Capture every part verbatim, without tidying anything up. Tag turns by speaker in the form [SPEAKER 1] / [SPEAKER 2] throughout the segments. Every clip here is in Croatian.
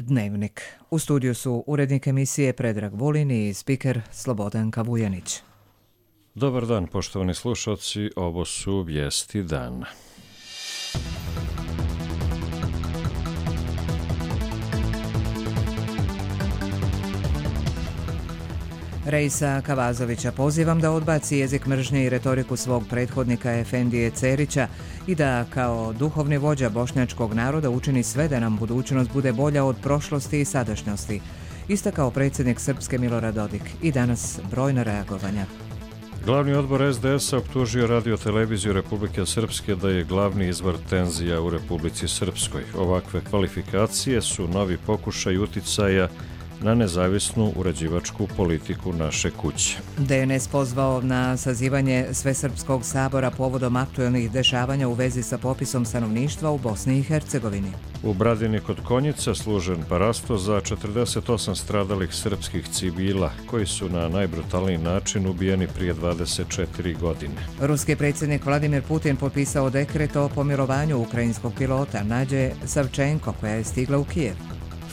[SPEAKER 1] Dnevnik. U studiju su urednik emisije Predrag Vulin i spiker Slobodanka Vujanić.
[SPEAKER 2] Dobar dan, poštovani slušalci, ovo su vijesti dana.
[SPEAKER 1] Reisa Kavazovića pozivam da odbaci jezik mržnje i retoriku svog prethodnika Efendije Cerića i da kao duhovni vođa bošnjačkog naroda učini sve da nam budućnost bude bolja od prošlosti i sadašnjosti, istakao predsjednik Srpske Milorad Dodik. I danas brojna reagovanja.
[SPEAKER 2] Glavni odbor es de es-a optužio Radio-televiziju Republike Srpske da je glavni izvor tenzija u Republici Srpskoj. Ovakve kvalifikacije su novi pokušaj uticaja na nezavisnu uređivačku politiku naše kuće.
[SPEAKER 1] de en es pozvao na sazivanje Svesrpskog sabora povodom aktuelnih dešavanja u vezi sa popisom stanovništva u Bosni i Hercegovini.
[SPEAKER 2] U Bradini kod Konjica služen parasto za četrdeset osam stradalih srpskih civila koji su na najbrutalniji način ubijeni prije dvadeset četiri godine.
[SPEAKER 1] Ruski predsjednik Vladimir Putin potpisao dekret o pomilovanju ukrajinskog pilota Nađe Savčenko koja je stigla u Kijev.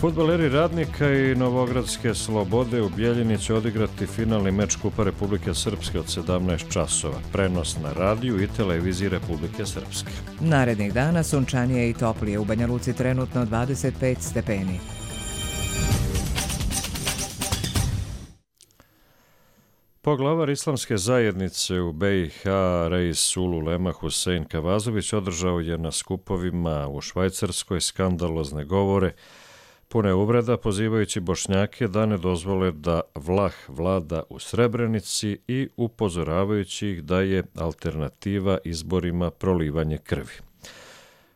[SPEAKER 2] Fudbaleri Radnika i Novogradske Slobode u Bijeljini će odigrati finalni meč Kupa Republike Srpske od sedamnaest časova. Prenos na radiju i televiziji Republike Srpske.
[SPEAKER 1] Narednih dana sunčanije i toplije, u Banja Luci trenutno dvadeset pet stepeni.
[SPEAKER 2] Poglavar islamske zajednice u be i ha Reis Ululema Husein Kavazović održao je na skupovima u Švajcarskoj skandalozne govore pune uvreda, pozivajući Bošnjake da ne dozvole da Vlah vlada u Srebrenici i upozoravajući ih da je alternativa izborima prolivanje krvi.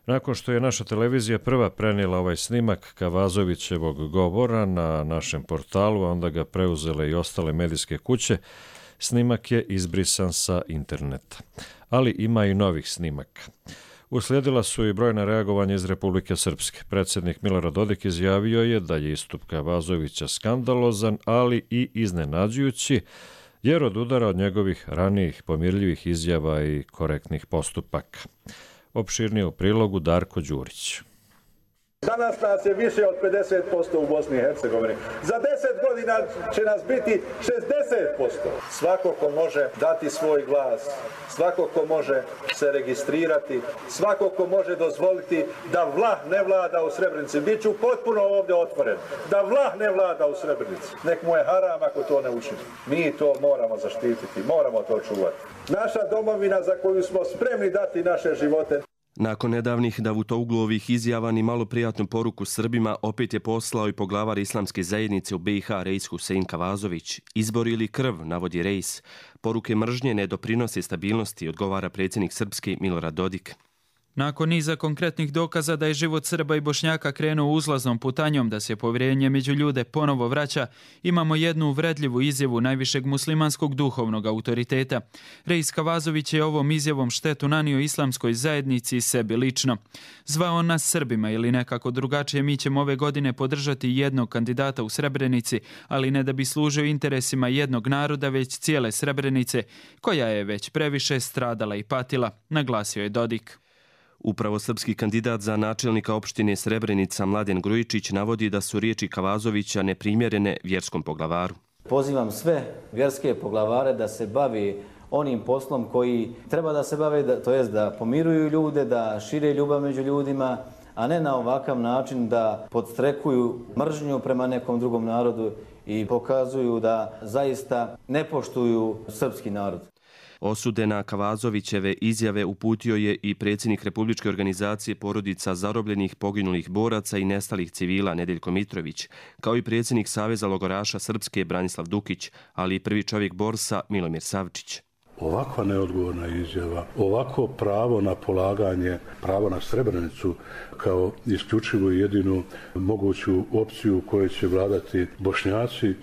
[SPEAKER 2] Nakon što je naša televizija prva prenijela ovaj snimak Kavazovićevog govora na našem portalu, a onda ga preuzele i ostale medijske kuće, snimak je izbrisan sa interneta. Ali ima i novih snimaka. Uslijedila su i brojna reagovanja iz Republike Srpske. Predsjednik Milorad Dodik izjavio je da je istup Kavazovića skandalozan, ali i iznenađujući, jer odudara od njegovih ranijih pomirljivih izjava i korektnih postupaka. Opširnije u prilogu Darko Đurić.
[SPEAKER 3] Danas nas je više od pedeset posto u Bosni i Hercegovini. Za deset godina će nas biti šezdeset posto. Svako ko može dati svoj glas, svako ko može se registrirati, svako ko može dozvoliti da Vlah ne vlada u Srebrenici. Biću potpuno ovdje otvoren. Da Vlah ne vlada u Srebrenici. Nek mu je haram ako to ne učini. Mi to moramo zaštititi, moramo to čuvati. Naša domovina za koju smo spremni dati naše živote.
[SPEAKER 4] Nakon nedavnih Davutogluovih izjava ni malo prijatnu poruku Srbima opet je poslao i poglavar islamske zajednice u be i ha Reis Husein Kavazović. Izbor ili krv, navodi Reis. Poruke mržnje ne doprinose stabilnosti, odgovara predsjednik Srpske Milorad Dodik.
[SPEAKER 5] Nakon niza konkretnih dokaza da je život Srba i Bošnjaka krenuo uzlaznom putanjom, da se povjerenje među ljude ponovo vraća, imamo jednu uvredljivu izjavu najvišeg muslimanskog duhovnog autoriteta. Reis Kavazović je ovom izjavom štetu nanio islamskoj zajednici i sebi lično. Zvao on nas Srbima ili nekako drugačije, mi ćemo ove godine podržati jednog kandidata u Srebrenici, ali ne da bi služio interesima jednog naroda, već cijele Srebrenice, koja je već previše stradala i patila, naglasio je Dodik.
[SPEAKER 4] Upravo srpski kandidat za načelnika opštine Srebrenica Mladen Grujičić navodi da su riječi Kavazovića neprimjerene vjerskom poglavaru.
[SPEAKER 6] Pozivam sve vjerske poglavare da se bavi onim poslom koji treba da se bave, to jest da pomiruju ljude, da šire ljubav među ljudima, a ne na ovakav način da podstrekuju mržnju prema nekom drugom narodu i pokazuju da zaista ne poštuju srpski narod.
[SPEAKER 4] Osude na Kavazovićeve izjave uputio je i predsjednik Republičke organizacije porodica zarobljenih, poginulih boraca i nestalih civila Nedeljko Mitrović, kao i predsjednik Saveza logoraša Srpske Branislav Dukić, ali i prvi čovjek Borsa Milomir Savčić.
[SPEAKER 7] Ovakva neodgovorna izjava, ovako pravo na polaganje, pravo na Srebrenicu kao isključivu i jedinu moguću opciju u kojoj će vladati Bošnjaci,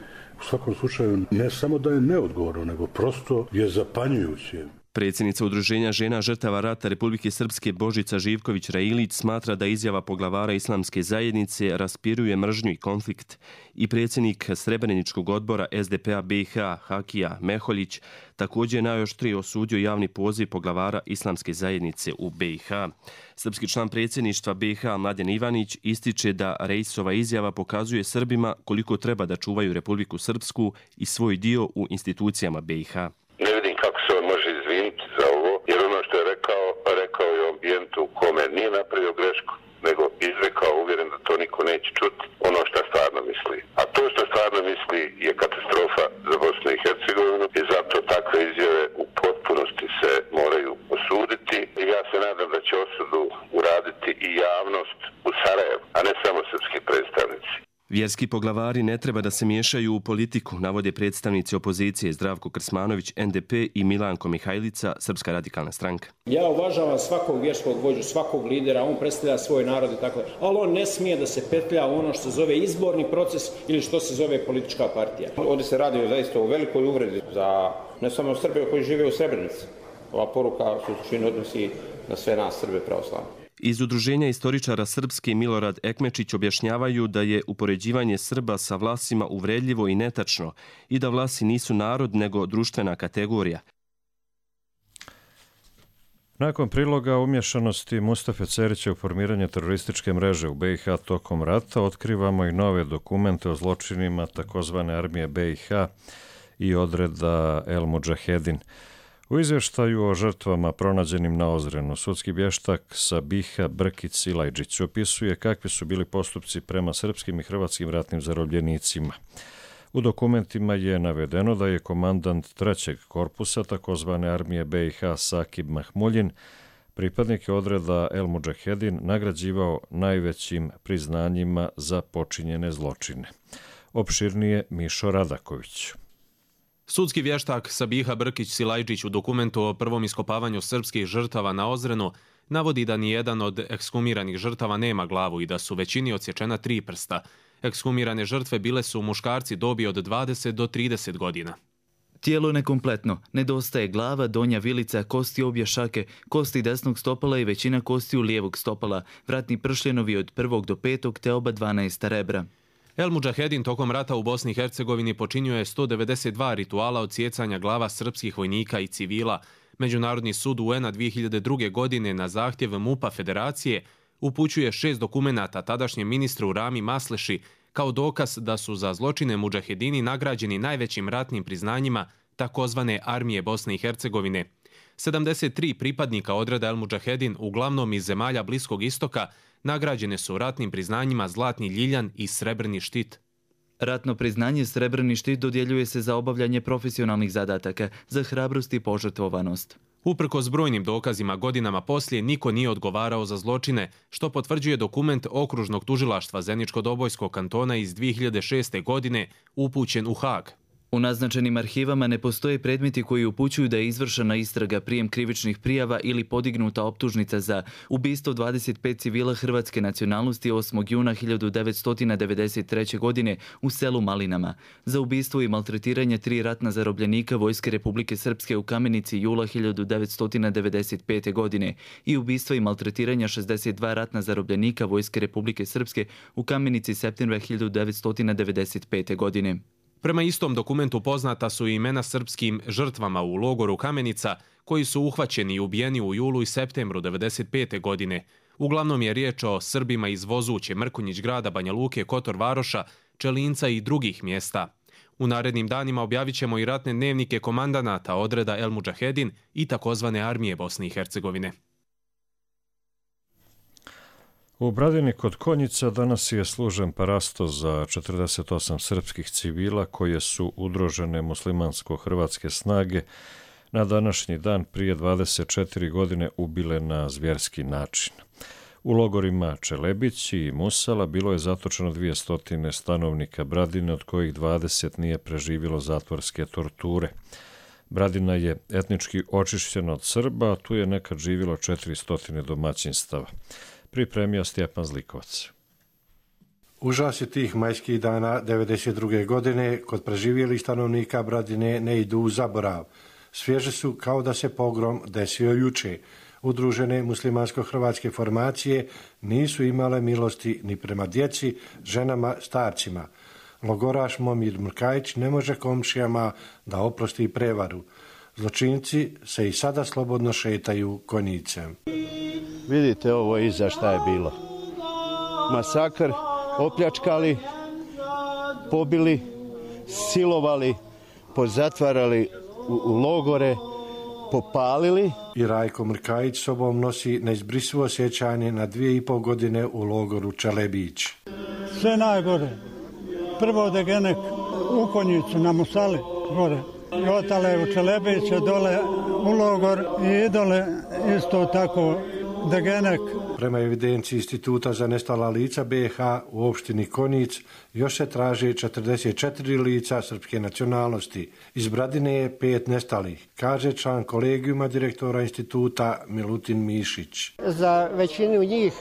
[SPEAKER 7] u svakom slučaju ne samo da je neodgovorno, nego prosto je zapanjujuće.
[SPEAKER 4] Predsjednica Udruženja žena žrtava rata Republike Srpske Božica Živković-Railić smatra da izjava poglavara islamske zajednice raspiruje mržnju i konflikt. I predsjednik Srebreničkog odbora es de pe a be i ha Hakija Meholjić također je najoštrije osudio javni poziv poglavara islamske zajednice u be i ha. Srpski član predsjedništva be i ha Mladen Ivanić ističe da Reisova izjava pokazuje Srbima koliko treba da čuvaju Republiku Srpsku i svoj dio u institucijama be i ha.
[SPEAKER 8] Ne vidim kako se on može izviniti za ovo, jer ono što je rekao, rekao je u ambijentu u kome nije napravio grešku, nego izrekao uvjeren da to niko neće čuti ono što stvarno misli. A to što stvarno misli je katastrofa za Bosnu i Hercegovinu i zato takve izjave u potpunosti se moraju osuditi. I ja se nadam da će osudu uraditi i javnost u Sarajevu, a ne samo srpski predstavnici.
[SPEAKER 4] Vjerski poglavari ne treba da se miješaju u politiku, navode predstavnici opozicije Zdravko Krsmanović, en de pe i Milanko Mihajlica, Srpska radikalna stranka.
[SPEAKER 9] Ja uvažavam svakog vjerskog vođu, svakog lidera, on predstavlja svoj narod i tako, ali on ne smije da se petlja u ono što se zove izborni proces ili što se zove politička partija.
[SPEAKER 10] Ovdje se radi zaista o velikoj uvredi za ne samo Srbe koji žive u Srebrenici. Ova poruka se u suštini odnosi na sve nas Srbe pravoslavne.
[SPEAKER 4] Iz Udruženja istoričara Srpske Milorad Ekmečić objašnjavaju da je upoređivanje Srba sa Vlasima uvredljivo i netačno i da Vlasi nisu narod nego društvena kategorija.
[SPEAKER 2] Nakon priloga umješanosti Mustafe Cerića u formiranje terorističke mreže u be i ha tokom rata, otkrivamo i nove dokumente o zločinima takozvane armije be i ha i odreda El Mudžahedin. U izvještaju o žrtvama pronađenim na Ozrenu, sudski vještak Sabiha Brkić-Silajđić opisuje kakvi su bili postupci prema srpskim i hrvatskim ratnim zarobljenicima. U dokumentima je navedeno da je komandant trećeg korpusa takozvane armije be i ha Sakib Mahmuljin pripadnike odreda El Mudžahedin nagrađivao najvećim priznanjima za počinjene zločine. Opširnije Mišo Radaković.
[SPEAKER 11] Sudski vještak Sabiha Brkić-Silajđić u dokumentu o prvom iskopavanju srpskih žrtava na Ozrenu navodi da nijedan od ekshumiranih žrtava nema glavu i da su većini odsječena tri prsta. Ekshumirane žrtve bile su muškarci dobi od dvadeset do trideset godina.
[SPEAKER 12] Tijelo nekompletno, nedostaje glava, donja vilica, kosti obje šake, kosti desnog stopala i većina kostiju lijevog stopala, vratni pršljenovi od prvog do petog te oba dvanaesta rebra.
[SPEAKER 11] El Mudžahedin tokom rata u Bosni i Hercegovini počinio je sto devedeset dva rituala odsjecanja glava srpskih vojnika i civila. Međunarodni sud u en a dvije hiljade druge. godine na zahtjev MUP-a Federacije upućuje šest dokumenata tadašnjem ministru Rami Masleši kao dokaz da su za zločine Mudžahedini nagrađeni najvećim ratnim priznanjima takozvane armije Bosne i Hercegovine. sedamdeset tri pripadnika odreda El Mudžahedin, uglavnom iz zemalja Bliskog istoka, nagrađene su ratnim priznanjima Zlatni ljiljan i Srebrni štit.
[SPEAKER 12] Ratno priznanje Srebrni štit dodjeljuje se za obavljanje profesionalnih zadataka, za hrabrost i požrtvovanost.
[SPEAKER 11] Uprkos brojnim dokazima godinama poslije niko nije odgovarao za zločine, što potvrđuje dokument Okružnog tužilaštva Zeničko-Dobojskog kantona iz dvije hiljade šeste. godine upućen u Haag.
[SPEAKER 12] U naznačenim arhivama ne postoje predmeti koji upućuju da je izvršena istraga, prijem krivičnih prijava ili podignuta optužnica za ubistvo dvadeset pet civila hrvatske nacionalnosti osmog juna hiljadu devetsto devedeset treće. godine u selu Malinama, za ubistvo i maltretiranje tri ratna zarobljenika Vojske Republike Srpske u Kamenici jula hiljadu devetsto devedeset pete. godine i ubistvo i maltretiranja šezdeset dva ratna zarobljenika Vojske Republike Srpske u Kamenici septembra hiljadu devetsto devedeset pete. godine.
[SPEAKER 11] Prema istom dokumentu poznata su imena srpskim žrtvama u logoru Kamenica koji su uhvaćeni i ubijeni u julu i septembru devedeset pete. godine. Uglavnom je riječ o Srbima iz Vozuće, Mrkonjić grada, Banja Luke, Kotor Varoša, Čelinca i drugih mjesta. U narednim danima objavit ćemo i ratne dnevnike komandanata odreda El Mudžahedin i takozvane armije Bosne i Hercegovine.
[SPEAKER 2] U Bradini kod Konjica danas je služen parasto za četrdeset osam srpskih civila koje su udružene muslimansko-hrvatske snage na današnji dan prije dvadeset četiri godine ubile na zvjerski način. U logorima Čelebić i Musala bilo je zatočeno dvjesto stanovnika Bradine, od kojih dvadeset nije preživjelo zatvorske torture. Bradina je etnički očišćena od Srba, a tu je nekad živjelo četiristo domaćinstava. Pripremio Stjepan Zlikovac.
[SPEAKER 13] Užasi tih majskih dana devedeset druge. godine kod preživjelih stanovnika Bradine ne idu u zaborav. svježe su kao da se pogrom desio juče. Udružene muslimansko-hrvatske formacije nisu imale milosti ni prema djeci, ženama, starcima. Logoraš Momir Mrkajić ne može komšijama da oprosti prevaru. Zločinci se i sada slobodno šetaju konjicem.
[SPEAKER 14] Vidite ovo iza šta je bilo. Masakr, opljačkali, pobili, silovali, pozatvarali u, u logore, popalili.
[SPEAKER 13] I Rajko Mrkajić sobom nosi neizbrisivo sjećanje na dvije i pol godine u logoru Čelebić.
[SPEAKER 15] Sve najgore. Prvo degenek u Konjicu na Musali gore. I otale u Čelebiće dole u logor i dole isto tako degenek.
[SPEAKER 13] Prema evidenciji Instituta za nestala lica B i H u opštini Konjic još se traži četrdeset četiri lica srpske nacionalnosti. Iz Bradine je pet nestalih, kaže član kolegijuma direktora instituta Milutin Mišić.
[SPEAKER 16] Za većinu njih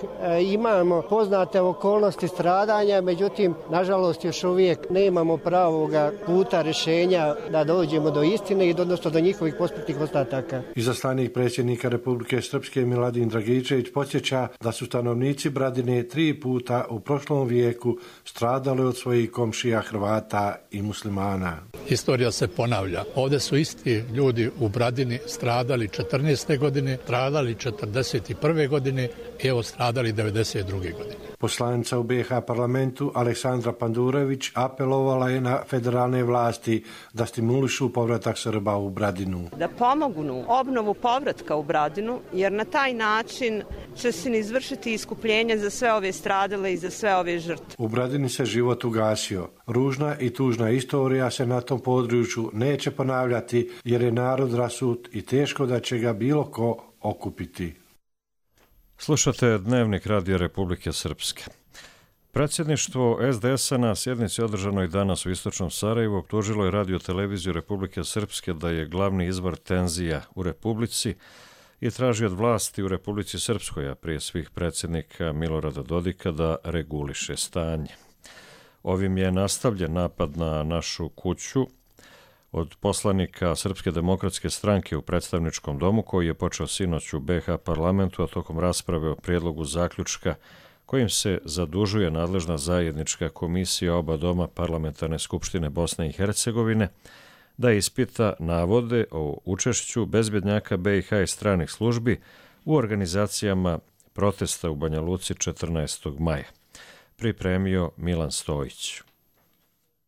[SPEAKER 16] imamo poznate okolnosti stradanja, međutim, nažalost, još uvijek nemamo pravoga puta rješenja da dođemo do istine i odnosno do njihovih posmrtnih ostataka.
[SPEAKER 13] Izaslanik predsjednika Republike Srpske Miladin Dragičević podsjeća da su stanovnici Bradine tri puta u prošlom vijeku stradali od svojih komšija Hrvata i muslimana.
[SPEAKER 17] Historija se ponavlja. Ovdje su isti ljudi u Bradini stradali četrnaeste godine, stradali četrdeset prve godine i evo stradali devedeset druge godine.
[SPEAKER 13] Poslanica u B i H parlamentu Aleksandra Pandurević apelovala je na federalne vlasti da stimulišu povratak Srba u Bradinu.
[SPEAKER 18] Da pomognu obnovu povratka u Bradinu, jer na taj način će se izvršiti iskupljenje za sve ove stradale i za sve ove žrtve.
[SPEAKER 13] U Bradini se život ugasio. Ružna i tužna istorija se na tom području neće ponavljati jer je narod rasut i teško da će ga bilo ko okupiti.
[SPEAKER 2] Slušate Dnevnik Radija Republike Srpske. Predsjedništvo es de es a na sjednici održanoj danas u Istočnom Sarajevu optužilo je Radio televiziju Republike Srpske da je glavni izvor tenzija u Republici i traži od vlasti u Republici Srpskoj, a prije svih predsjednika Milorada Dodika, da reguliše stanje. Ovim je nastavljen napad na našu kuću od poslanika Srpske demokratske stranke u predstavničkom domu, koji je počeo sinoć u be ha parlamentu, a tokom rasprave o prijedlogu zaključka kojim se zadužuje nadležna zajednička komisija oba doma Parlamentarne skupštine Bosne i Hercegovine da ispita navode o učešću bezbednjaka be i ha i stranih službi u organizacijama protesta u Banja Luci četrnaestog maja. Pripremio Milan Stojić.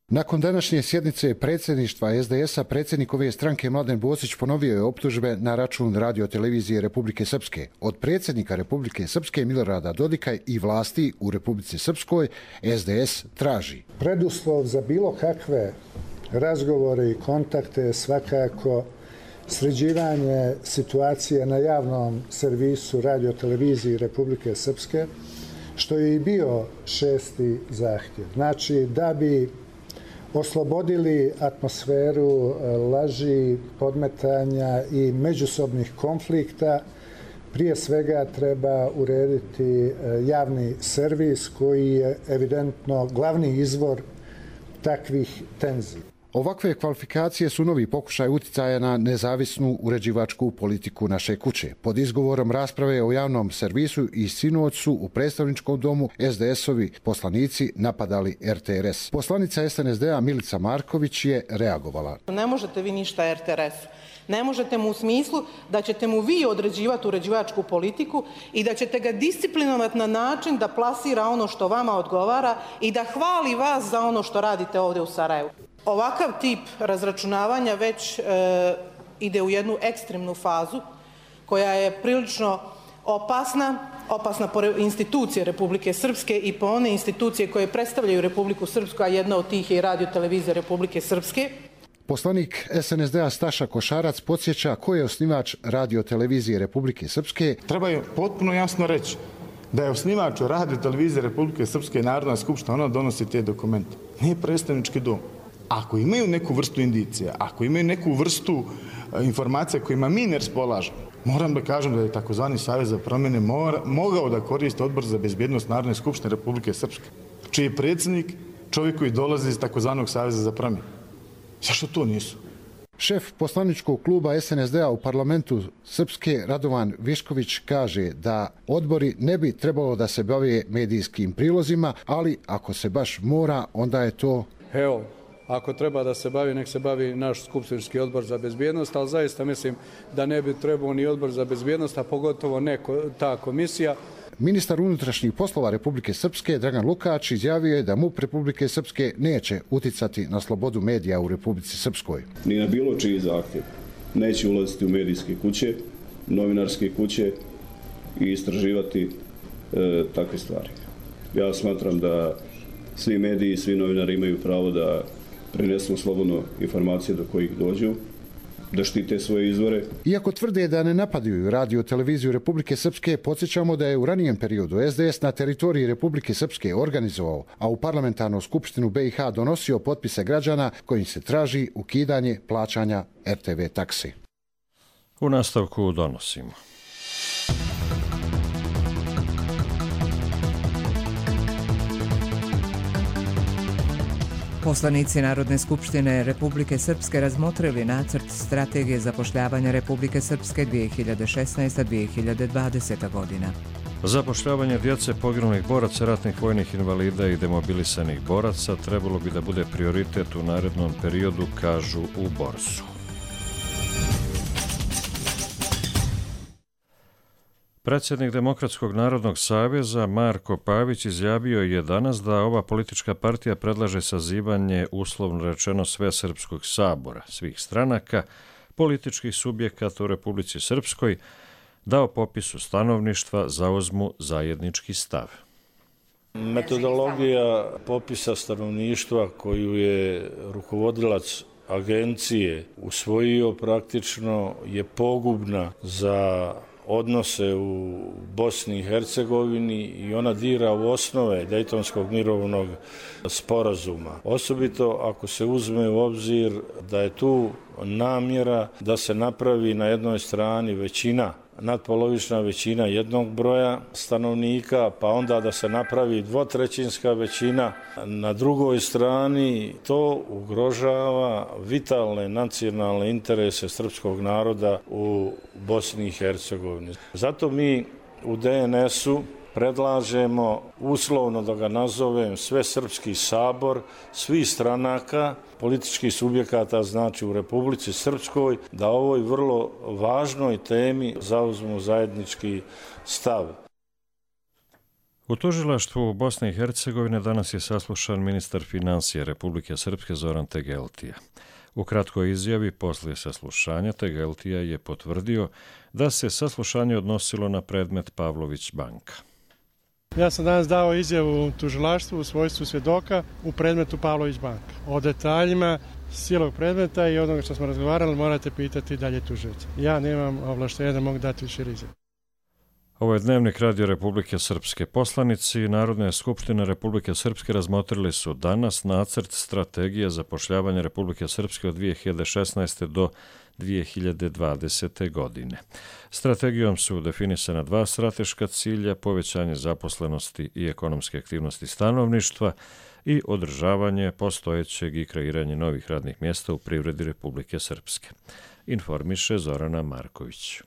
[SPEAKER 19] Nakon današnje sjednice predsjedništva es de es a, predsjednik ove stranke Mladen Bosić ponovio je optužbe na račun Radio televizije Republike Srpske. Od predsjednika Republike Srpske Milorada Dodika i vlasti u Republici Srpskoj es de es traži.
[SPEAKER 20] Preduslov za bilo kakve razgovore i kontakte je svakako sređivanje situacije na javnom servisu Radio televiziji Republike Srpske, što je i bio šesti zahtjev. Znači, da bi oslobodili atmosferu laži, podmetanja i međusobnih konflikta, prije svega treba urediti javni servis koji je evidentno glavni izvor takvih tenzija.
[SPEAKER 19] Ovakve kvalifikacije su novi pokušaj uticaja na nezavisnu uređivačku politiku naše kuće. Pod izgovorom rasprave o javnom servisu i sinoć su u predstavničkom domu es de es-ovi poslanici napadali er te er es. Poslanica es en es de a Milica Marković je reagovala.
[SPEAKER 21] Ne možete vi ništa er te er es. Ne možete mu u smislu da ćete mu vi određivati uređivačku politiku i da ćete ga disciplinovati na način da plasira ono što vama odgovara i da hvali vas za ono što radite ovdje u Sarajevu. Ovakav tip razračunavanja već e, ide u jednu ekstremnu fazu koja je prilično opasna, opasna po institucije Republike Srpske i po one institucije koje predstavljaju Republiku Srpsku, a jedna od tih je i Radio televizija Republike Srpske.
[SPEAKER 19] Poslanik es en es de a Staša Košarac podsjeća ko je osnivač Radio televizije Republike Srpske.
[SPEAKER 22] Treba je potpuno jasno reći da je osnivač Radio televizije Republike Srpske Narodna skupština, ona donosi te dokumente. Nije predstavnički dom. Ako imaju neku vrstu indicija, ako imaju neku vrstu informacija kojima mi ne raspolažemo, moram da kažem da je takozvani Savez za promjene mora, mogao da koristi Odbor za bezbjednost Narodne skupštine Republike Srpske, čiji je predsjednik čovjek koji dolazi iz takozvanog Saveza za promjene. Zašto to nisu?
[SPEAKER 19] Šef poslaničkog kluba S N S D-a u parlamentu Srpske Radovan Višković kaže da odbori ne bi trebalo da se bave medijskim prilozima, ali ako se baš mora, onda je to...
[SPEAKER 1] Evo, ako treba da se bavi, nek se bavi naš skupštinski odbor za bezbjednost, ali zaista mislim da ne bi trebao ni odbor za bezbjednost, a pogotovo ne ta komisija.
[SPEAKER 19] Ministar unutrašnjih poslova Republike Srpske Dragan Lukač izjavio je da M U P Republike Srpske neće uticati na slobodu medija u Republici Srpskoj.
[SPEAKER 3] Ni na bilo čiji zahtjev neće ulaziti u medijske kuće, novinarske kuće i istraživati e, takve stvari. Ja smatram da svi mediji i svi novinari imaju pravo da prenesu slobodno informacije do kojih dođu, da štite svoje izvore.
[SPEAKER 19] Iako tvrde da ne napadaju radio televiziju Republike Srpske, podsjećamo da je u ranijem periodu S D S na teritoriji Republike Srpske organizovao, a u parlamentarnu skupštinu B i H donosio potpise građana kojim se traži ukidanje plaćanja R T V taksi.
[SPEAKER 2] U nastavku donosimo.
[SPEAKER 23] Poslanici Narodne skupštine Republike Srpske razmotrili nacrt strategije zapošljavanja Republike Srpske dvije hiljade šesnaesta do dvije hiljade dvadesete. godina.
[SPEAKER 2] Zapošljavanje djece poginulih boraca, ratnih vojnih invalida i demobilisanih boraca trebalo bi da bude prioritet u narednom periodu, kažu u Borsu. Predsjednik Demokratskog narodnog saveza Marko Pavić izjavio je danas da ova politička partija predlaže sazivanje uslovno rečeno Svesrpskog sabora, svih stranaka, političkih subjekata u Republici Srpskoj, da o popisu stanovništva zauzmu zajednički stav.
[SPEAKER 24] Metodologija popisa stanovništva koju je rukovodilac agencije usvojio praktično je pogubna za odnose u Bosni i Hercegovini i ona dira u osnove Dejtonskog mirovnog sporazuma. Osobito ako se uzme u obzir da je tu namjera da se napravi na jednoj strani većina, nadpolovična većina jednog broja stanovnika, pa onda da se napravi dvotrećinska većina. Na drugoj strani to ugrožava vitalne nacionalne interese srpskog naroda u Bosni i Hercegovini. Zato mi u D N S-u predlažemo, uslovno da ga nazovem, Svesrpski sabor, svih stranaka, političkih subjekata, znači u Republici Srpskoj, da ovoj vrlo važnoj temi zauzmu zajednički stav.
[SPEAKER 2] U tužilaštvu Bosne i Hercegovine danas je saslušan ministar financija Republike Srpske Zoran Tegeltija. U kratkoj izjavi poslije saslušanja Tegeltija je potvrdio da se saslušanje odnosilo na predmet Pavlović banka.
[SPEAKER 25] Ja sam danas dao izjavu tužilaštvu u svojstvu svjedoka u predmetu Pavlović banka. O detaljima cijelog predmeta i onoga što smo razgovarali morate pitati dalje tužioca. Ja nemam ovlaštenja da mogu dati širi izjavu.
[SPEAKER 2] Ovo je Dnevnik Radio Republike Srpske. Poslanici Narodne skupštine Republike Srpske razmotrili su danas nacrt strategije zapošljavanja Republike Srpske od dvije hiljade šesnaeste. do dvije hiljade dvadesete. godine. Strategijom su definisana dva strateška cilja, povećanje zaposlenosti i ekonomske aktivnosti stanovništva i održavanje postojećeg i kreiranje novih radnih mjesta u privredi Republike Srpske. Informiše Zorana Marković.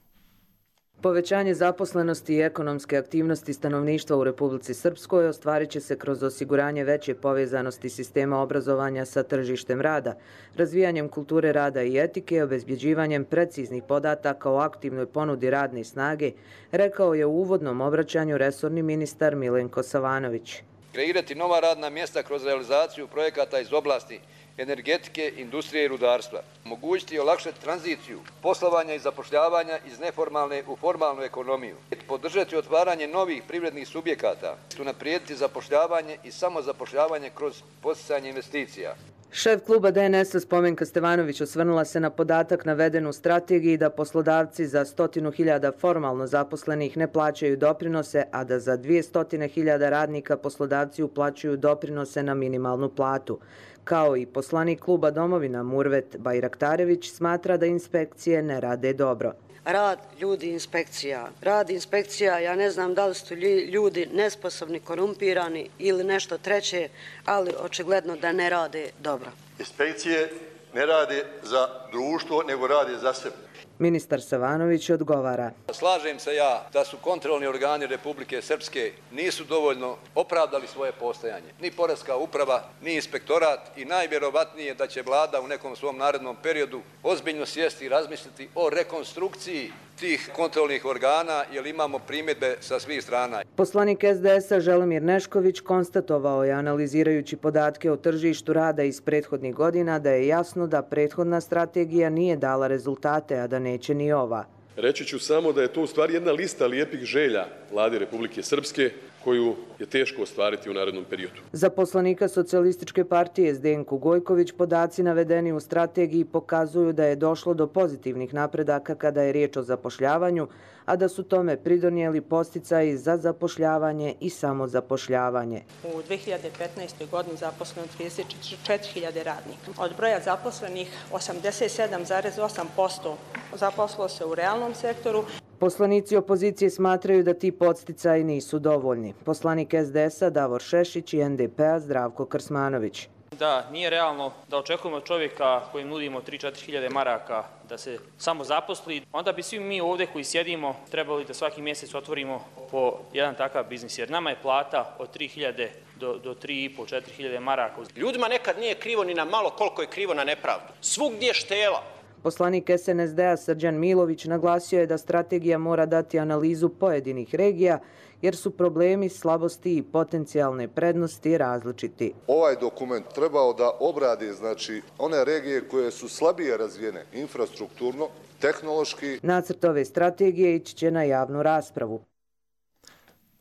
[SPEAKER 26] Povećanje zaposlenosti i ekonomske aktivnosti stanovništva u Republici Srpskoj ostvarit će se kroz osiguranje veće povezanosti sistema obrazovanja sa tržištem rada, razvijanjem kulture rada i etike, obezbjeđivanjem preciznih podataka o aktivnoj ponudi radne snage, rekao je u uvodnom obraćanju resorni ministar Milenko Savanović.
[SPEAKER 27] Kreirati nova radna mjesta kroz realizaciju projekata iz oblasti energetike, industrije i rudarstva. Omogućiti i olakšati tranziciju poslovanja i zapošljavanja iz neformalne u formalnu ekonomiju. Podržati otvaranje novih privrednih subjekata. Unaprijediti zapošljavanje i samozapošljavanje kroz podsticanje investicija.
[SPEAKER 26] Šef kluba D N S-a Spomenka Stevanović osvrnula se na podatak naveden u strategiji da poslodavci za stotinu hiljada formalno zaposlenih ne plaćaju doprinose, a da za dvije stotine hiljada radnika poslodavci uplaćuju doprinose na minimalnu platu. Kao i poslanik kluba Domovina Murvet Bajraktarević smatra da inspekcije ne rade dobro.
[SPEAKER 28] Rad ljudi inspekcija. Rad inspekcija, ja ne znam da li su ljudi nesposobni, korumpirani ili nešto treće, ali očigledno da ne rade dobro.
[SPEAKER 29] Inspekcije
[SPEAKER 4] ne rade za društvo, nego rade za sebe.
[SPEAKER 26] Ministar Savanović odgovara.
[SPEAKER 27] Slažem se ja da su kontrolni organi Republike Srpske nisu dovoljno opravdali svoje postojanje. Ni poreska uprava, ni inspektorat i najvjerovatnije da će vlada u nekom svom narednom periodu ozbiljno sjesti i razmisliti o rekonstrukciji tih kontrolnih organa, jer imamo primjedbe sa svih strana.
[SPEAKER 26] Poslanik S D S-a Želimir Nešković konstatovao je, analizirajući podatke o tržištu rada iz prethodnih godina, da je jasno da prethodna strategija nije dala rezultate, a da neće ni ova.
[SPEAKER 5] Reći ću samo da je to u stvari jedna lista lijepih želja Vlade Republike Srpske koju je teško ostvariti u narednom periodu.
[SPEAKER 26] Za poslanika Socijalističke partije Zdenku Gojković podaci navedeni u strategiji pokazuju da je došlo do pozitivnih napredaka kada je riječ o zapošljavanju, a da su tome pridonijeli podsticaji za zapošljavanje i samozapošljavanje.
[SPEAKER 6] U dve hiljade petnaestoj. godini zaposleno trideset četiri hiljade radnika. Od broja zaposlenih osamdeset sedam zarez osam posto zaposlilo se u realnom sektoru.
[SPEAKER 26] Poslanici opozicije smatraju da ti podsticaji nisu dovoljni. Poslanik S D S-a Davor Šešić i N D P-a Zdravko Krsmanović.
[SPEAKER 7] Da, nije realno da očekujemo čovjeka kojim nudimo tri do četiri hiljade maraka da se samo zaposli. Onda bi svi mi ovdje koji sjedimo trebali da svaki mjesec otvorimo po jedan takav biznis, jer nama je plata od tri hiljade do, do tri i po do četiri hiljade maraka.
[SPEAKER 8] Ljudima nekad nije krivo ni na malo koliko je krivo na nepravdu. Svugdje štela.
[SPEAKER 26] Poslanik S N S D-a Srđan Milović naglasio je da strategija mora dati analizu pojedinih regija, jer su problemi, slabosti i potencijalne prednosti različiti.
[SPEAKER 9] Ovaj dokument trebao da obradi znači one regije koje su slabije razvijene infrastrukturno, tehnološki.
[SPEAKER 26] Nacrt ove strategije ići će na javnu raspravu.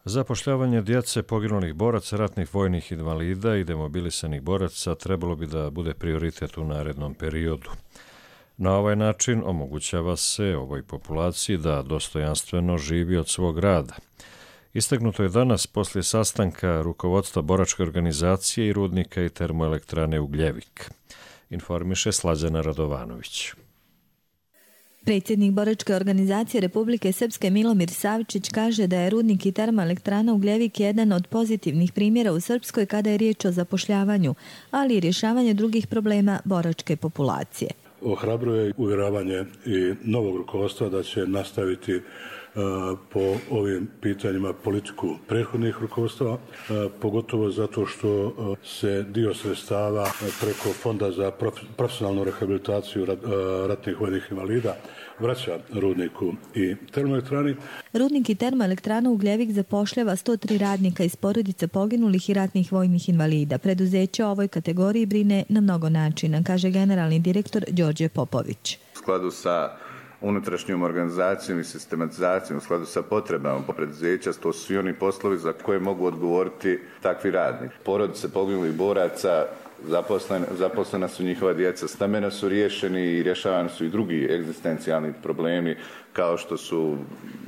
[SPEAKER 2] Zapošljavanje djece poginulih boraca, ratnih vojnih invalida i demobilisanih boraca trebalo bi da bude prioritet u narednom periodu. Na ovaj način omogućava se ovoj populaciji da dostojanstveno živi od svog rada. Istaknuto je danas poslije sastanka rukovodstva boračke organizacije i rudnika i termoelektrane Ugljevik. Informiše Slađana Radovanović.
[SPEAKER 10] Predsjednik boračke organizacije Republike Srpske Milomir Savičić kaže da je rudnik i termoelektrana Ugljevik jedan od pozitivnih primjera u Srpskoj kada je riječ o zapošljavanju, ali i rješavanju drugih problema boračke populacije.
[SPEAKER 12] Ohrabruje uvjeravanje i novog rukovodstva da će nastaviti po ovim pitanjima politiku prethodnih rukovodstva, pogotovo zato što se dio sredstava preko Fonda za profesionalnu rehabilitaciju ratnih vojnih invalida vraća rudniku i termoelektrani.
[SPEAKER 10] Rudnik i termoelektrana Ugljevik zapošljava sto tri radnika iz porodica poginulih i ratnih vojnih invalida. Preduzeće o ovoj kategoriji brine na mnogo načina, kaže generalni direktor Đorđe Popović.
[SPEAKER 29] U skladu sa unutrašnjom organizacijom i sistematizacijom, u skladu sa potrebama preduzeća, to su svi oni poslovi za koje mogu odgovoriti takvi radnik. Porodice poginulih boraca, zaposlena, zaposlena su njihova djeca, stambeno su riješeni i rješavani su i drugi egzistencijalni problemi kao što su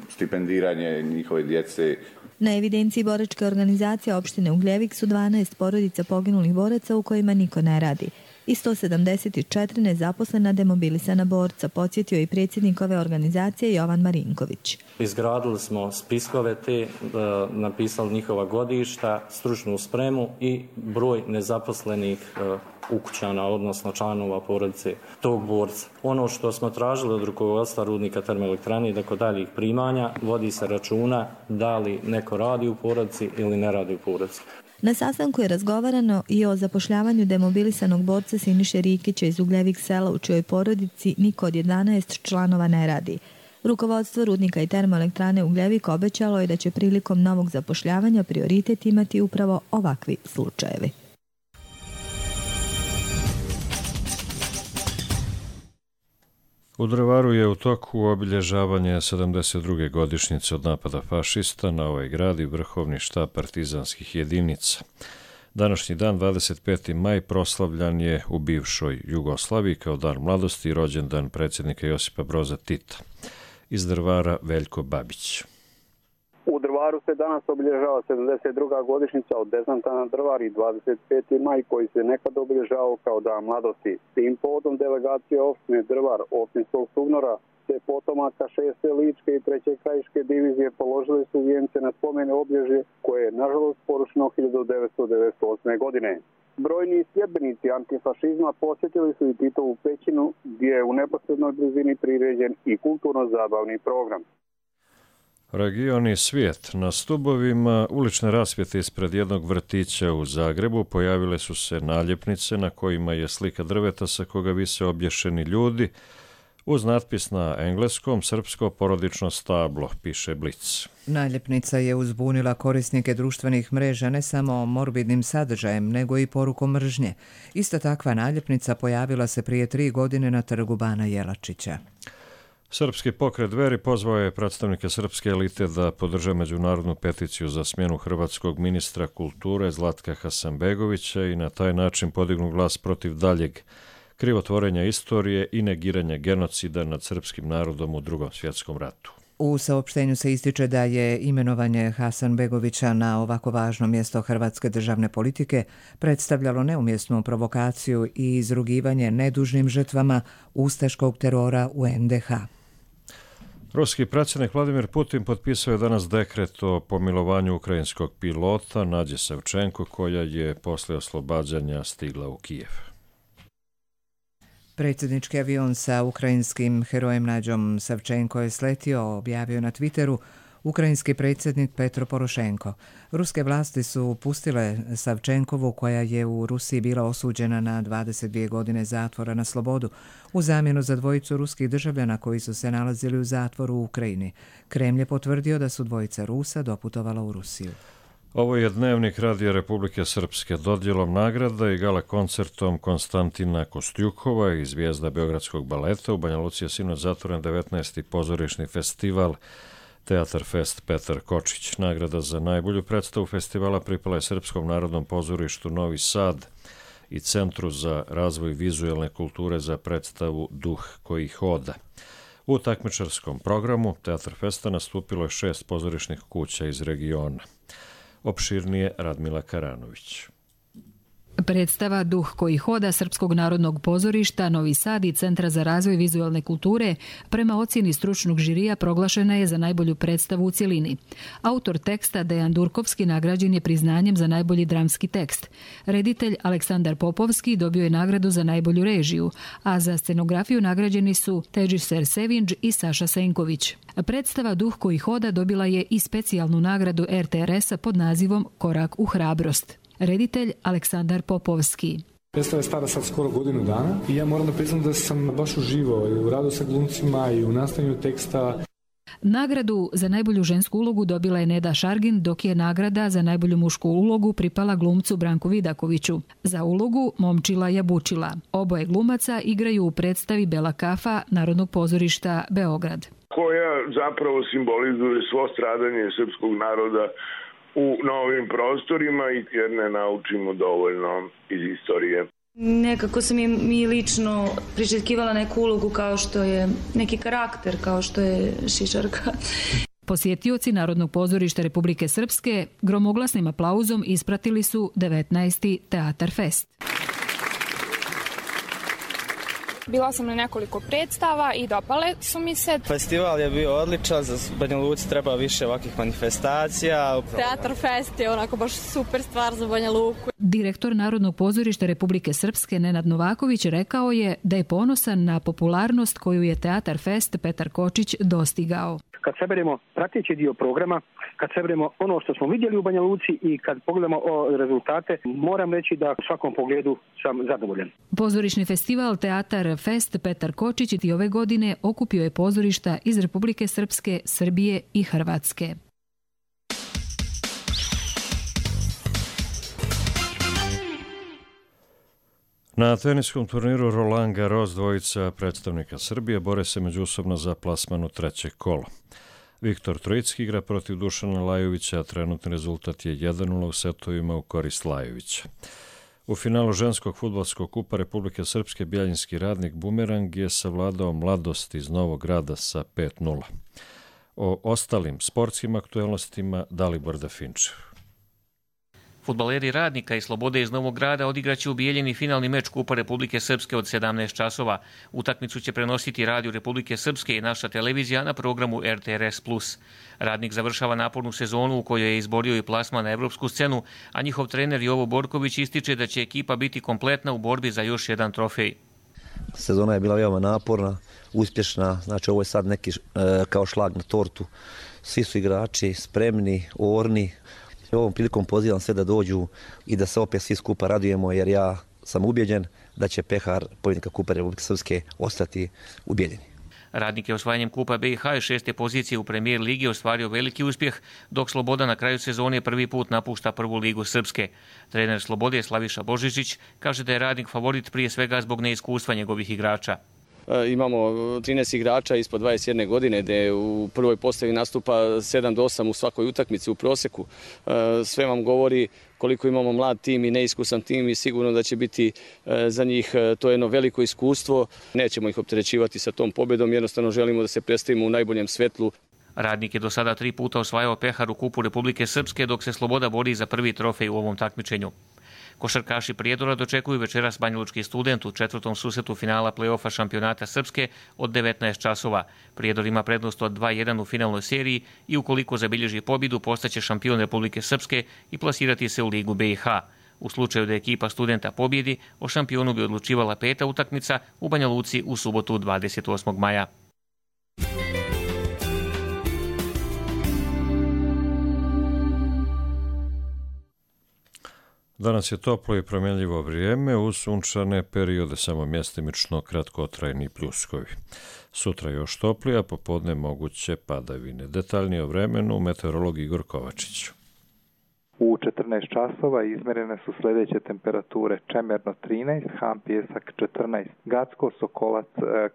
[SPEAKER 29] stipendiranje njihove djece.
[SPEAKER 10] Na evidenciji boračke organizacije opštine Ugljevik su dvanaest porodica poginulih boraca u kojima niko ne radi i sto sedamdeset četiri nezaposlena demobilisana borca, podsjetio i predsjednik ove organizacije Jovan Marinković.
[SPEAKER 30] Izgradili smo spiskove te, napisali njihova godišta, stručnu spremu i broj nezaposlenih ukućana, odnosno članova porodice tog borca. Ono što smo tražili od rukovodstva rudnika termoelektrane i tako daljih primanja, vodi se računa da li neko radi u porodici ili ne radi u porodici.
[SPEAKER 10] Na sastanku je razgovarano i o zapošljavanju demobilisanog borca Siniše Rikića iz Ugljevik sela, u čijoj porodici niko od jedanaest članova ne radi. Rukovodstvo rudnika i termoelektrane Ugljevik obećalo je da će prilikom novog zapošljavanja prioritet imati upravo ovakvi slučajevi.
[SPEAKER 2] U Drvaru je u toku obilježavanje sedamdeset druge godišnjice od napada fašista na ovaj grad i vrhovni štab partizanskih jedinica. Današnji dan, dvadeset peti maj, proslavljan je u bivšoj Jugoslaviji kao dan mladosti i rođendan predsjednika Josipa Broza Tita. Iz Drvara Veljko Babić.
[SPEAKER 31] U Drvaru se danas obilježava sedamdeset druga godišnjica od desanta na Drvar i dvadeset peti maj koji se nekad obilježavao kao dan mladosti. Tim povodom delegacije opštine Drvar opštinskog SUBNOR-a te potomaka šeste ličke i treće krajiške divizije položili su vijence na spomene obilježje koje je nažalost porušeno hiljadu devetsto devedeset osme. godine. Brojni sljedbenici antifašizma posjetili su i Titovu pećinu gdje je u neposrednoj blizini priređen i kulturno-zabavni program.
[SPEAKER 2] Region i svijet. Na stubovima ulične rasvjete ispred jednog vrtića u Zagrebu pojavile su se naljepnice na kojima je slika drveta sa koga vise obješeni ljudi uz natpis na engleskom srpsko porodično stablo, piše Blic.
[SPEAKER 23] Naljepnica je uzbunila korisnike društvenih mreža ne samo morbidnim sadržajem, nego i porukom mržnje. Ista takva naljepnica pojavila se prije tri godine na trgu Bana Jelačića.
[SPEAKER 2] Srpski pokret Dveri pozvao je predstavnike srpske elite da podrže međunarodnu peticiju za smjenu hrvatskog ministra kulture Zlatka Hasanbegovića i na taj način podignu glas protiv daljeg krivotvorenja istorije i negiranja genocida nad srpskim narodom u Drugom svjetskom ratu.
[SPEAKER 23] U saopštenju se ističe da je imenovanje Hasanbegovića na ovako važno mjesto hrvatske državne politike predstavljalo neumjesnu provokaciju i izrugivanje nedužnim žrtvama ustaškog terora u en de ha.
[SPEAKER 2] Ruski predsjednik Vladimir Putin potpisao je danas dekret o pomilovanju ukrajinskog pilota Nađe Savčenko, koja je posle oslobađanja stigla u Kijev.
[SPEAKER 23] Predsjednički avion sa ukrajinskim herojem Nađom Savčenko je sletio, objavio na Twitteru ukrajinski predsjednik Petro Porošenko. Ruske vlasti su pustile Savčenkovu, koja je u Rusiji bila osuđena na dvadeset dvije godine zatvora na slobodu, u zamjenu za dvojicu ruskih državljana koji su se nalazili u zatvoru u Ukrajini. Kremlj je potvrdio da su dvojica Rusa doputovala u Rusiju.
[SPEAKER 2] Ovo je Dnevnik Radija Republike Srpske. Dodjelom nagrada i gala koncertom Konstantina Kostjukova i zvijezda Beogradskog baleta u Banja Luci je sinoć zatvoren devetnaesti pozorišni festival Teatar Fest Petar Kočić. Nagrada za najbolju predstavu festivala pripala je Srpskom narodnom pozorištu Novi Sad i Centru za razvoj vizuelne kulture za predstavu Duh koji hoda. U takmičarskom programu Teatar Festa nastupilo je šest pozorišnih kuća iz regiona. Opširnije Radmila Karanović.
[SPEAKER 1] Predstava Duh koji hoda Srpskog narodnog pozorišta Novi Sad i Centra za razvoj vizualne kulture prema ocjeni stručnog žirija proglašena je za najbolju predstavu u cjelini. Autor teksta Dejan Durkovski nagrađen je priznanjem za najbolji dramski tekst. Reditelj Aleksandar Popovski dobio je nagradu za najbolju režiju, a za scenografiju nagrađeni su Teđiser Sevinđ i Saša Senković. Predstava Duh koji hoda dobila je i specijalnu nagradu er te er esa pod nazivom Korak u hrabrost. Reditelj Aleksandar Popovski.
[SPEAKER 11] Predstava je stara sad skoro godinu dana i ja moram da priznam da sam baš uživao i u radu sa glumcima i u nastavljanju teksta.
[SPEAKER 1] Nagradu za najbolju žensku ulogu dobila je Neda Šargin, dok je nagrada za najbolju mušku ulogu pripala glumcu Branku Vidakoviću. Za ulogu Momčila Jabučila. Oboje glumaca igraju u predstavi Bela kafa Narodnog pozorišta Beograd.
[SPEAKER 13] Koja zapravo simbolizuje svo stradanje srpskog naroda u novim prostorima i jer ne naučimo dovoljno iz istorije.
[SPEAKER 14] Nekako sam mi lično priželjkivala neku ulogu kao što je neki karakter, kao što je Šišarka.
[SPEAKER 1] Posjetioci Narodnog pozorišta Republike Srpske gromoglasnim aplauzom ispratili su devetnaesti Teatar Fest.
[SPEAKER 15] Bila sam na nekoliko predstava i dopale su mi se.
[SPEAKER 16] Festival je bio odličan, za Banja Luci treba više ovakvih manifestacija.
[SPEAKER 15] Teatar Fest je onako baš super stvar za Banja Luku.
[SPEAKER 1] Direktor Narodnog pozorišta Republike Srpske Nenad Novaković rekao je da je ponosan na popularnost koju je Teatar Fest Petar Kočić dostigao.
[SPEAKER 17] Kad saberemo prateći dio programa, kad saberemo ono što smo vidjeli u Banja Luci i kad pogledamo rezultate, moram reći da u svakom pogledu sam zadovoljan.
[SPEAKER 1] Pozorišni festival Teatar Fest Petar Kočić i ove godine okupio je pozorišta iz Republike Srpske, Srbije i Hrvatske.
[SPEAKER 2] Na teniskom turniru Roland Garros dvojica predstavnika Srbije bore se međusobno za plasman u treće kolo. Viktor Trojicki igra protiv Dušana Lajovića, a trenutni rezultat je jedan nula u setovima u korist Lajovića. U finalu ženskog fudbalskog kupa Republike Srpske Bjeljinski radnik Bumerang je savladao Mladost iz Novog Grada sa pet nula. O ostalim sportskim aktuelnostima Dalibor Dafinčev.
[SPEAKER 3] Fudbaleri Radnika i Slobode iz Novog Grada odigraće u Bijeljini finalni meč Kupa Republike Srpske od sedamnaest časova. Utakmicu će prenositi Radio Republike Srpske i naša televizija na programu R T R S plus. Radnik završava napornu sezonu u kojoj je izborio i plasman na evropsku scenu, a njihov trener Jovo Borković ističe da će ekipa biti kompletna u borbi za još jedan trofej.
[SPEAKER 4] Sezona je bila veoma naporna, uspješna, znači ovo je sad neki e, kao šlag na tortu. Svi su igrači spremni, orni. Ovom prilikom pozivam sve da dođu i da se opet svi skupa radujemo, jer ja sam ubjeđen da će pehar pobjednika Kupa Republike Srpske ostati u Bijeljini.
[SPEAKER 3] Radnik je osvajanjem Kupa B i H i šeste pozicije u premijer ligi ostvario veliki uspjeh, dok Sloboda na kraju sezone prvi put napušta prvu ligu Srpske. Trener Slobode Slaviša Božičić kaže da je Radnik favorit prije svega zbog neiskustva njegovih igrača.
[SPEAKER 18] Imamo trinaest igrača ispod dvadeset jedne godine, gdje u prvoj postavi nastupa sedam do osam u svakoj utakmici u prosjeku. Sve vam govori koliko imamo mlad tim i neiskusan tim i sigurno da će biti za njih to jedno veliko iskustvo. Nećemo ih opterećivati sa tom pobjedom, jednostavno želimo da se predstavimo u najboljem svetlu.
[SPEAKER 3] Radnik je do sada tri puta osvajao pehar u Kupu Republike Srpske, dok se Sloboda bori za prvi trofej u ovom takmičenju. Košarkaši Prijedora dočekuju večeras Banjalučki Student u četvrtom susretu finala play-offa šampionata Srpske od devetnaest časova. Prijedor ima prednost od dva jedan u finalnoj seriji i ukoliko zabilježi pobjedu postaće šampion Republike Srpske i plasirati se u ligu B i H. U slučaju da ekipa Studenta pobjedi, o šampionu bi odlučivala peta utakmica u Banja Luci u subotu dvadeset osmog maja.
[SPEAKER 2] Danas je toplo i promjenljivo vrijeme, uz sunčane periode samo mjestimično kratkotrajni pljuskovi. Sutra još toplije, a popodne moguće padavine. Detaljnije o vremenu meteorolog Igor Kovačić.
[SPEAKER 19] U četrnaest časova izmjerene su sljedeće temperature: Čemerno trinaest, Han Pijesak četrnaest, Gacko, Sokolac,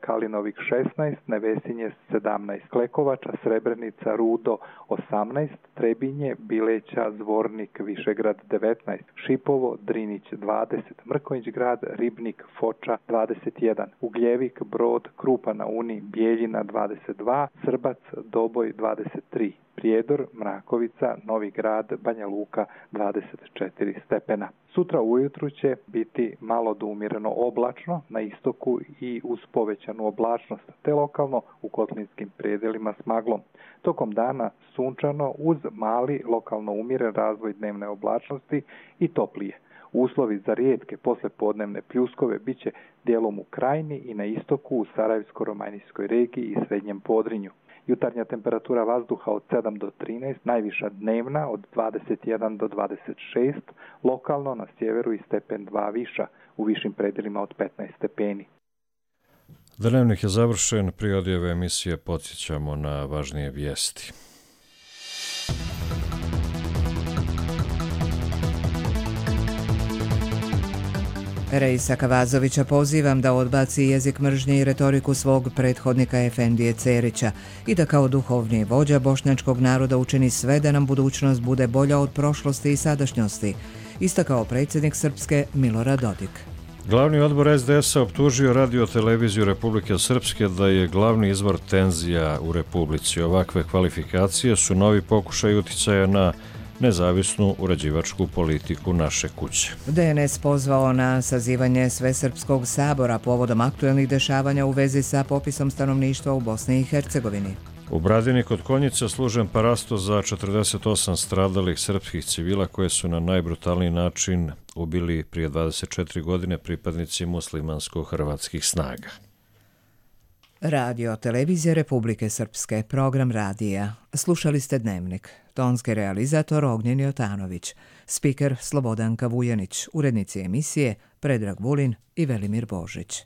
[SPEAKER 19] Kalinovik šesnaest, Nevesinje sedamnaest, Klekovača, Srebrenica, Rudo osamnaest, Trebinje, Bileća, Zvornik, Višegrad devetnaest, Šipovo, Drinić dvadeset, Mrkonjić grad, Ribnik, Foča dvadeset jedan, Ugljevik, Brod, Krupa na Uni, Bijeljina dvadeset dva, Srbac, Doboj dvadeset tri, Prijedor, Mrakovica, Novi grad, Banja Luka dvadeset četiri stepena. Sutra ujutru će biti malo do umjereno oblačno na istoku i uz povećanu oblačnost, te lokalno u kotlinskim predjelima s maglom. Tokom dana sunčano uz mali lokalno umjeren razvoj dnevne oblačnosti i toplije. Uslovi za rijetke poslijepodnevne pljuskove bit će dijelom u Krajini i na istoku u Sarajevsko-Romanijskoj regiji i Srednjem Podrinju. Jutarnja temperatura vazduha od sedam do trinaest, najviša dnevna od dvadeset jedan do dvadeset šest, lokalno na sjeveru i stepen dva viša, u višim predjelima od petnaest stepeni.
[SPEAKER 2] Dnevnik je završen, prije odjave emisije podsjećamo na važnije vijesti.
[SPEAKER 23] Reisa Kavazovića pozivam da odbaci jezik mržnje i retoriku svog prethodnika Efendije Cerića i da kao duhovni vođa bošnjačkog naroda učini sve da nam budućnost bude bolja od prošlosti i sadašnjosti, istakao predsjednik Srpske Milorad Dodik.
[SPEAKER 2] Glavni odbor es de es a optužio Radio televiziju Republike Srpske da je glavni izvor tenzija u Republici. Ovakve kvalifikacije su novi pokušaj uticaja na nezavisnu uređivačku politiku naše kuće.
[SPEAKER 23] de en es pozvao na sazivanje Svesrpskog sabora povodom aktuelnih dešavanja u vezi sa popisom stanovništva u Bosni i Hercegovini.
[SPEAKER 2] U Bradini kod Konjica služen parasto za četrdeset osam stradalih srpskih civila koje su na najbrutalniji način ubili prije dvadeset četiri godine pripadnici muslimansko-hrvatskih snaga.
[SPEAKER 23] Radio televizija Republike Srpske, program radija. Slušali ste Dnevnik. Tonski realizator Ognjen Jotanović, spiker Slobodanka Vujanić, urednici emisije Predrag Vulin i Velimir Božić.